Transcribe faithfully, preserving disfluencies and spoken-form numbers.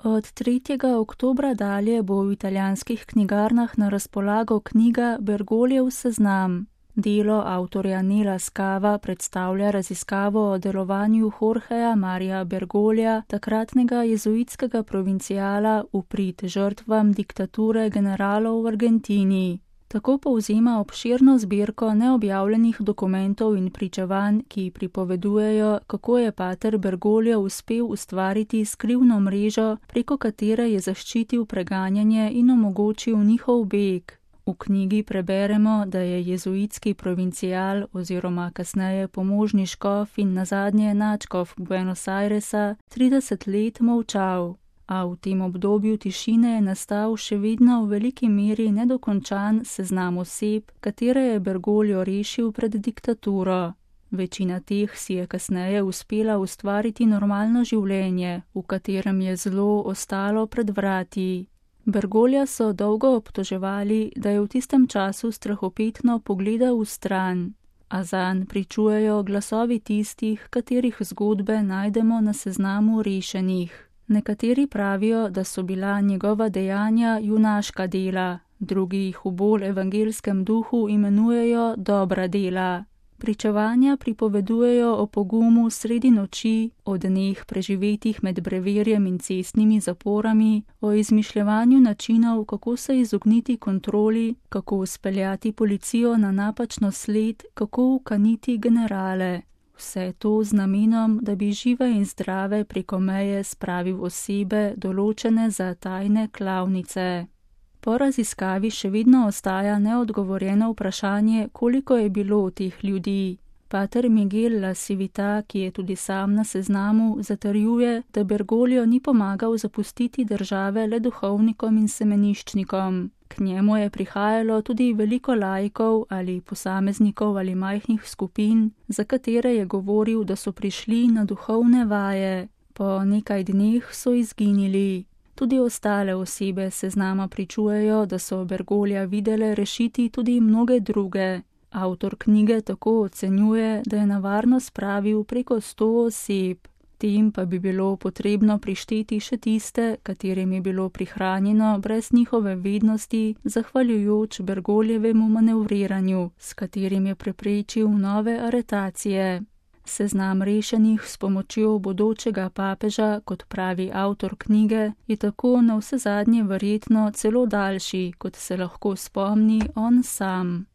Od tretjega oktobra dalje bo v italijanskih knjigarnah na razpolago knjiga Bergolijev seznam. Delo avtorja Nela Skava predstavlja raziskavo o delovanju Jorgeja Marija Bergoglija, takratnega jezuitskega provinciala v prid žrtvam diktature generalov v Argentini. Tako povzema obširno zbirko neobjavljenih dokumentov in pričevanj, ki pripovedujejo, kako je pater Bergoglio uspel ustvariti skrivno mrežo, preko katere je zaščitil preganjanje in omogočil njihov beg. V knjigi preberemo, da je jezuitski provincial oziroma kasneje pomožni škof in nazadnje nadškof Buenos Airesa trideset let molčal. A v tem obdobju tišine je nastal še vedno v veliki meri nedokončan seznam oseb, katere je Bergoglio rešil pred diktaturo. Večina teh si je kasneje uspela ustvariti normalno življenje, v katerem je zlo ostalo pred vrati. Bergoglija so dolgo obtoževali, da je v tistem času strahopetno pogledal v stran, a zanj pričujejo glasovi tistih, katerih zgodbe najdemo na seznamu rešenih. Nekateri pravijo, da so bila njegova dejanja junaška dela, drugi jih v bolj evangelskem duhu imenujejo dobra dela. Pričevanja pripovedujejo o pogumu sredi noči, o dneh preživetih med breverjem in cestnimi zaporami, o izmišljevanju načinov, kako se izogniti kontroli, kako speljati policijo na napačno sled, kako ukaniti generale. Vse to z namenom, da bi žive in zdrave preko meje spravil osebe, določene za tajne klavnice. Po raziskavi še vedno ostaja neodgovorjeno vprašanje, koliko je bilo teh ljudi. Pater Miguel La Civita, ki je tudi sam na seznamu, zatrjuje, da Bergoglio ni pomagal zapustiti države le duhovnikom in semeniščnikom. K njemu je prihajalo tudi veliko laikov ali posameznikov ali majhnih skupin, za katere je govoril, da so prišli na duhovne vaje. Po nekaj dneh so izginili. Tudi ostale osebe seznama pričujejo, da so Bergoglija videle rešiti tudi mnoge druge. Avtor knjige tako ocenjuje, da je na varnost spravil preko sto oseb. Tem pa bi bilo potrebno prišteti še tiste, katerim je bilo prihranjeno brez njihove vednosti, zahvaljujoč Bergogljevemu manevriranju, s katerim je preprečil nove aretacije. Seznam rešenih s pomočjo bodočega papeža, kot pravi avtor knjige, je tako navsezadnje verjetno celo daljši, kot se lahko spomni on sam.